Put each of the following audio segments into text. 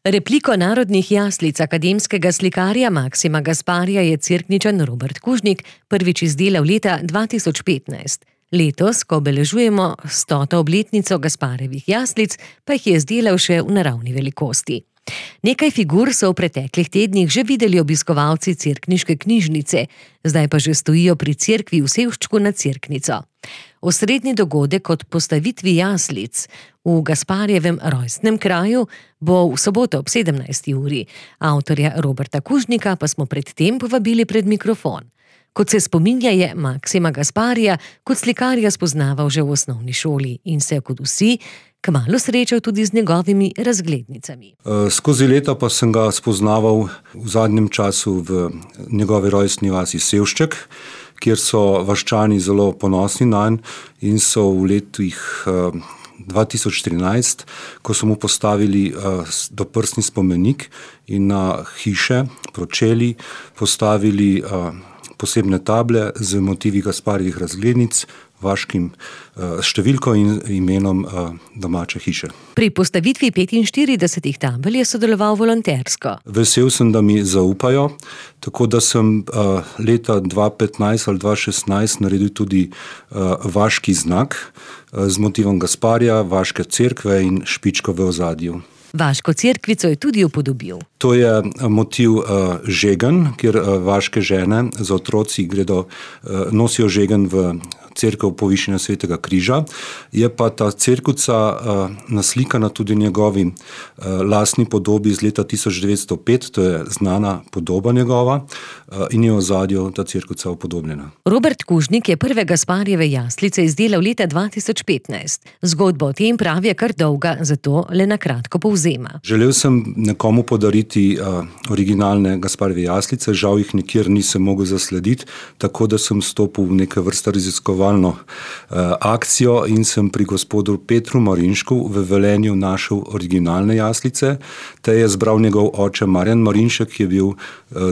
Repliko narodnih jaslic akademskega slikarja Maksima Gasparija je Cerkničan Robert Kužnik prvič izdelal leta 2015. Letos, ko obeležujemo 100. obletnico Gasparjevih jaslic, pa jih je izdelal še v naravni velikosti. Nekaj figur so v preteklih tednih že videli obiskovalci cerkniške knjižnice, zdaj pa že stojijo pri cerkvi v Sevščku nad Cerknico. Osrednji dogodek od postavitvi jaslic v Gasparjevem rojstnem kraju bo v soboto ob 17. uri. Avtorja Roberta Kužnika pa smo predtem povabili pred mikrofon. Kot se spominja, je Maksima Gasparija kot slikarja spoznaval že v osnovni šoli in se kot vsi kmalu srečal tudi z njegovimi razglednicami. Skozi leta pa sem ga spoznaval v zadnjem času v njegovi rojstni vasi Sevšček, kjer so vaščani zelo ponosni nanj in so v letih 2013, ko so mu postavili doprsni spomenik in na hiše, pročeli, postavili posebne table z motivi Gasparjevih razglednic, vaškim številko in imenom domače hiše. Pri postavitvi 45 tabel je sodeloval volontersko. Vesel sem, da mi zaupajo, tako da sem leta 2015 ali 2016 naredil tudi vaški znak z motivom Gasparja, vaške cerkve in špičko v ozadju. Vaško cerkvico je tudi upodobil. To je motiv žegen, kjer vaške žene z otroci nosijo žegen v cerkev povišenja Svetega križa. Je pa ta cerkvica naslikana tudi njegovi lastni podobi iz leta 1905, to je znana podoba njegova in je v ozadju ta cerkvica upodobljena. Robert Kužnik je prve Gasparjeve jaslice izdelal leta 2015. Zgodba o tem pravi je kar dolga, zato le na kratko povzema. Želel sem nekomu podariti originalne Gasparjeve jaslice, žal jih nikjer nisem mogel zaslediti, tako da sem stopil v neke vrste raziskovalno akcijo in sem pri gospodu Petru Marinšku v Velenju našel originalne jaslice. Te je zbral njegov oče Marjan Marinšek, ki je bil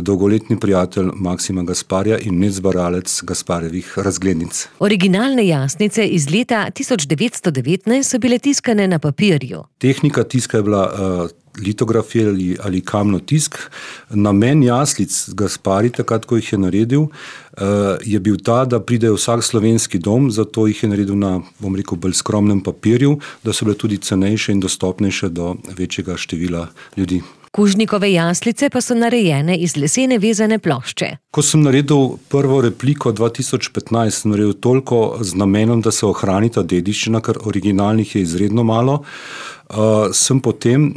dolgoletni prijatelj Maksima Gasparja in zbiralec Gasparjevih razglednic. Originalne jaslice iz leta 1919 so bile tiskane na papirju. Tehnika tiska je bila litografija ali kamno tisk. Namen jaslic Gasparij, takrat, ko jih je naredil, je bil ta, da pride vsak slovenski dom, zato jih je naredil na, bolj skromnem papirju, da so bile tudi cenejše in dostopnejše do večjega števila ljudi. Kužnikove jaslice pa so narejene iz lesene vezane plošče. Ko sem naredil prvo repliko 2015, sem naredil toliko z namenom, da se ohrani ta dediščina, ker originalnih je izredno malo. Sem potem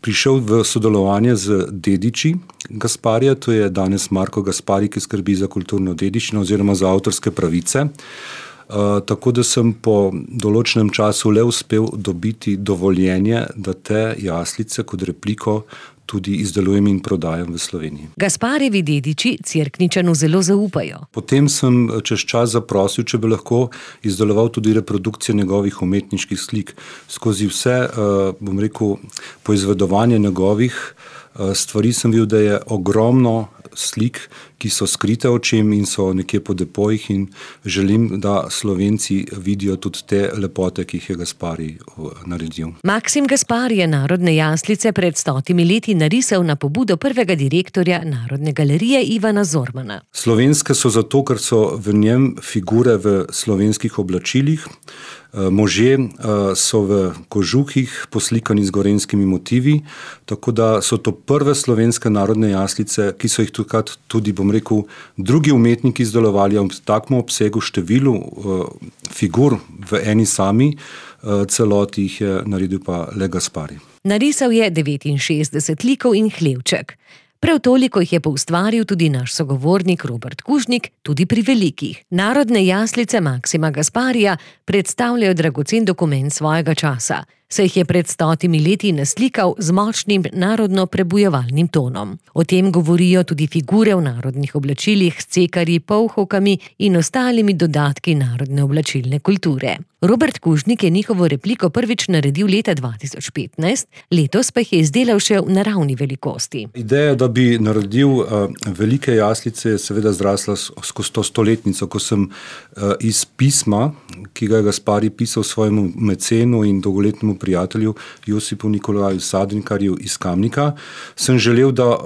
prišel v sodelovanje z dediči Gasparja, to je danes Marko Gasparij, ki skrbi za kulturno dediščino oziroma za avtorske pravice. Tako da sem po določenem času le uspel dobiti dovoljenje, da te jaslice kot repliko tudi izdelujem in prodajam v Sloveniji. Gasparjevi dediči Cerkničanu zelo zaupajo. Potem sem čez čas zaprosil, če bi lahko izdeloval tudi reprodukcije njegovih umetniških slik. Skozi vse, poizvedovanje njegovih stvari sem videl, da je ogromno slik, ki so skrite očem in so nekje po depojih in želim, da Slovenci vidijo tudi te lepote, ki jih je Gasparij naredil. Maksim Gasparij je narodne jaslice pred 100 leti narisal na pobudo prvega direktorja Narodne galerije Ivana Zormana. Slovenske so zato, ker so v njem figure v slovenskih oblačilih, možje so v kožuhih poslikani z gorenjskimi motivi, tako da so to prve slovenske narodne jaslice, ki so jih tudi, drugi umetniki izdelovali v takem obsegu, številu figur v eni sami celoti jih je naredil pa le Gasparij. Narisal je 69 likov in hlevček. Prav toliko jih je poustvaril tudi naš sogovornik Robert Kužnik, tudi pri velikih. Narodne jaslice Maksima Gasparija predstavljajo dragocen dokument svojega časa, saj jih je pred 100 leti naslikal z močnim narodno prebujevalnim tonom. O tem govorijo tudi figure v narodnih oblačilih s cekarji, polhovkami in ostalimi dodatki narodne oblačilne kulture. Robert Kužnik je njihovo repliko prvič naredil leta 2015, letos pa jih je izdelal še v naravni velikosti. Ideja, da bi naredil velike jaslice, je seveda zrasla skozi to stoletnico, ko sem iz pisma, ki ga je Gasparij pisal svojemu mecenu in dolgoletnemu prijatelju Josipu Nikolaju Sadnikarju iz Kamnika, sem želel, da,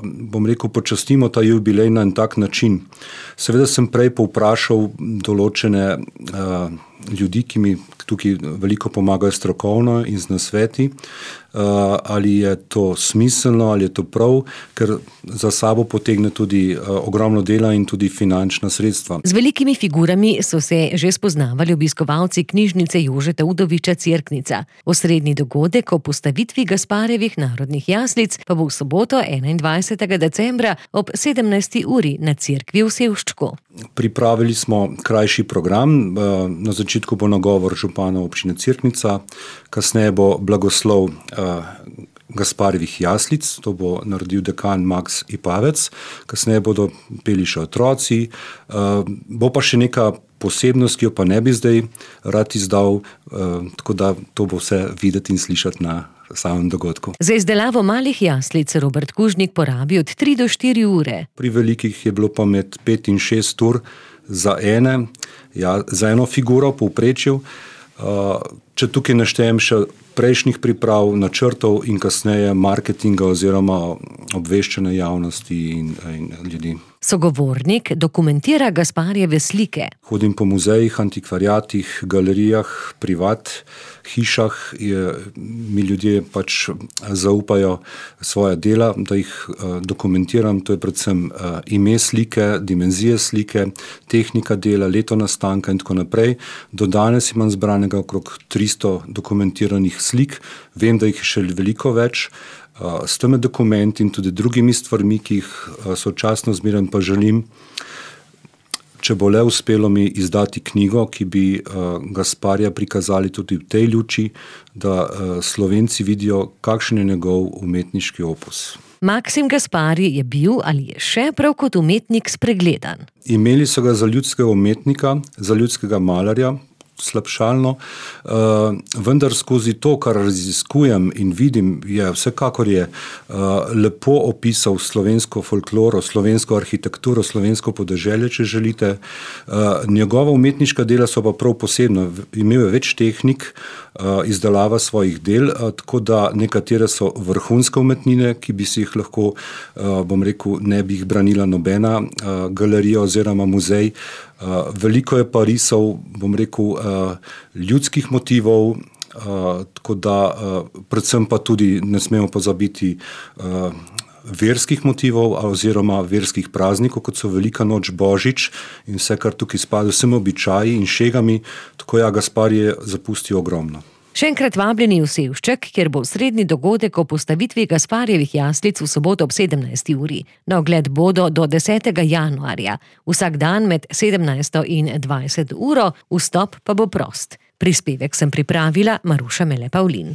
počastimo ta jubilej na en tak način. Seveda sem prej povprašal določene ljudi, ki mi tukaj veliko pomagajo strokovno in z nasveti, ali je to smiselno, ali je to prav, ker za sabo potegne tudi ogromno dela in tudi finančna sredstva. Z velikimi figurami so se že spoznavali obiskovalci knjižnice Jožeta Udoviča Cerknica. Osrednji dogodek o postavitvi Gasparjevih narodnih jaslic pa bo v soboto 21. decembra ob 17. uri na cerkvi v Sevščku. Pripravili smo krajši program. Na začetku bo nagovor župana občine Cerknica, kasneje bo blagoslov Gasparjevih jaslic, to bo naredil dekan Maks Ipavec, kasneje bodo peli še otroci, bo pa še neka posebnost, ki jo pa ne bi zdaj rad izdal, tako da to bo vse videti in slišati na samem dogodku. Za izdelavo malih jaslic Robert Kužnik porabi od 3 do 4 ure. Pri velikih je bilo pa med 5 in 6 ur za eno figuro v povprečju. Če tukaj naštejem še prejšnjih priprav, načrtov in kasneje marketinga oziroma obveščanja javnosti in ljudi. Sogovornik dokumentira Gasparjeve slike. Hodim po muzejih, antikvariatih, galerijah, privat hišah, mi ljudje pač zaupajo svoja dela, da jih dokumentiram. To je predvsem ime slike, dimenzije slike, tehnika dela, leto nastanka in tako naprej. Do danes imam zbranega okrog 300 dokumentiranih slik. Vem, da jih je še veliko več. S temi dokumenti in tudi drugimi stvarmi, ki jih sočasno zmeraj pa želim, če bo le uspelo mi izdati knjigo, ki bi Gasparja prikazali tudi v tej luči, da Slovenci vidijo, kakšen je njegov umetniški opus. Maksim Gasparij je bil ali je še prav kot umetnik spregledan. Imeli so ga za ljudskega umetnika, za ljudskega malarja, slabšalno, vendar skozi to, kar raziskujem in vidim, vsekakor je lepo opisal slovensko folkloro, slovensko arhitekturo, slovensko podeželje, če želite. Njegova umetniška dela so pa prav posebna. Imel je več tehnik izdelava svojih del, tako da nekatere so vrhunske umetnine, ki bi si jih lahko, ne bi jih branila nobena galerija oziroma muzej. Veliko je pa risov, ljudskih motivov, tako da predvsem pa tudi ne smemo pozabiti verskih motivov oziroma verskih praznikov, kot so Velika noč, Božič in vse, kar tukaj spada, vsemi običaji in šegami, tako Gasparij je zapustil ogromno. Še enkrat vabljeni v Sevšček, kjer bo srednji dogodek o postavitvi Gasparjevih jaslic v soboto ob 17. uri. Na ogled bodo do 10. januarja. Vsak dan med 17. in 20. uro, vstop pa bo prost. Prispevek sem pripravila Maruša Mele Pavlin.